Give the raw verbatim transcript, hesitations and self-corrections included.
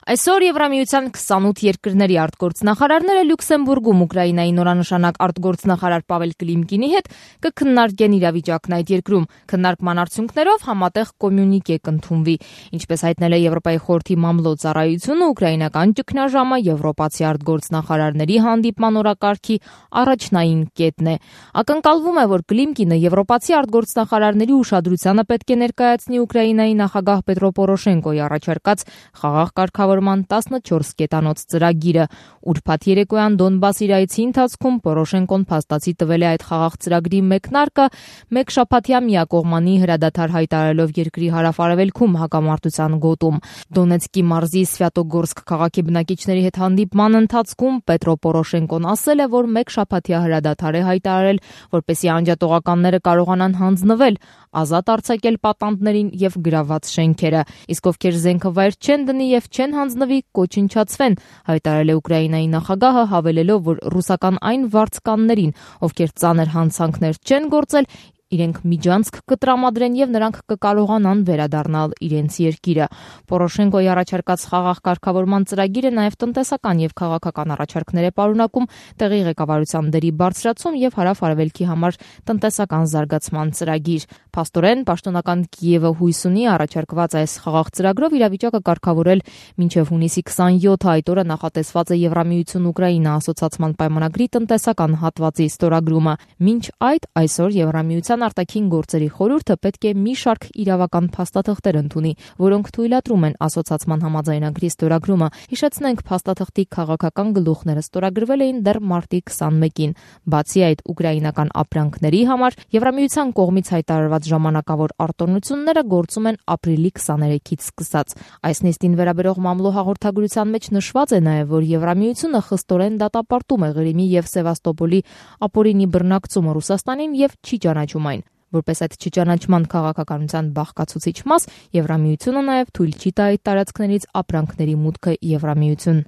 Այսօր Եվրամիության քսանութ երկրների արտգործնախարարները Լյուքսեմբուրգում Ուկրաինայի նորանշանակ արտգործնախարար Պավել Կլիմկինի հետ կքննարկեն իրավիճակն այդ երկրում։ Քննարկման արդյունքներով համատեղ կոմյունիկե կընդունվի։ Ինչպես հայտնել է Եվրոպայի խորհրդի մամլո ծառայությունը, ուկրաինական ճգնաժամը եվրոպացի արտգործնախարարների հանդիպման օրակարգի առաջնային կետն է։ Ակնկալվում է, որ Կլիմկինը եվրոպացի արտգործնախարարների ուշադրությանը պետք է ներկայացնի Ուկրաինայի նախագահ Պետրո Պորոշենկոյի առաջարկած խաղաղ կարգավորման տասնչորս կետանոց ծրագիրը։ Ուրբաթ երեկոյան Դոնբաս իրայցի ընթացքում Պորոշենկոն փաստացի տվել է այդ խաղաղ ծրագրի մեկնարկը մեկ շաբաթյա միակողմանի հրադադար հայտարարելով երկրի հարավ-արևելքում հակամարտության գոտում։ Դոնեցկի մարզի Սվյատոգորսկ քաղաքի բնակիչների հետ հանդիպման ընթացքում Պետրո Պորոշենկոն ասել է, որ մեկ շաբաթյա հրադադար է հայտարարել, որպեսզի անջատողականները կարողանան հանձնվել, ազատ արձակել պատանդներին եւ գրաված շենքերը, իսկ ովքեր զենքը վայր չեն դնի եւ չեն հանձնվի, կոչնչացվեն, հայտարարել է Ուկրաինայի նախագահը, հավելելով, որ ռուսական այն վարձկաններին, ովքեր ծանր հանցանքներ չեն գործել, իրենք միջանցք կտրամադրեն եւ նրանք կկարողանան վերադառնալ իրենց երկիրը։ Պորոշենկոյի առաջարկած խաղաղ կարգավորման ծրագիրը նաեւ տնտեսական եւ քաղաքական առաջարկներ է պարունակում, տեղի ղեկավարության դերի բարձրացում եւ հարավ-արևելքի համար տնտեսական զարգացման ծրագիր։ Փաստորեն, պաշտոնական Կիևը հույս ունի առաջարկված այս խաղաղ ծրագրով իրավիճակը կարգավորել մինչև հունիսի քսանյոթը, այդ օրը նախատեսված է Եվրամիություն-Ուկրաինա ասոցիացման պայմանագրի տնտեսական հատվածի ստորագրումը։ Մինչ այդ այսօր Եվրամիության արտաքին գործերի խորհուրդը պետք է մի շարք իրավական փաստաթղթեր ընդունի, որոնք թույլատրում են ասոցիացման համաձայնագրի ստորագրումը։ Հիշեցնենք, փաստաթղթի քաղաքական գլուխները ստորագրվել էին դեռ մարտի քսանմեկին։ Բացի այդ, ուկրաինական ապրանքների համար Եվրամիության կողմից հայտարարված ժամանակավոր արտոնությունները գործում են ապրիլի քսաներեքից սկսած։ Այս նիստին վերաբերող մամլո հաղորդագրության մեջ նշված է նաև, որ Եվրամիությունը խստորեն դատապարտում է Ղրիմի եւ Սևաստոպոլի ապօրինի բռնակցումը Ռուսաստանին եւ չի ճանաչում այն։ Որպես այդ չճանաչման քաղաքականության բաղկացուցիչ մաս, Եվրամիությունը նաև թույլ չի տա այդ տարածքներից ապրանքների մուտքը Եվրամիություն։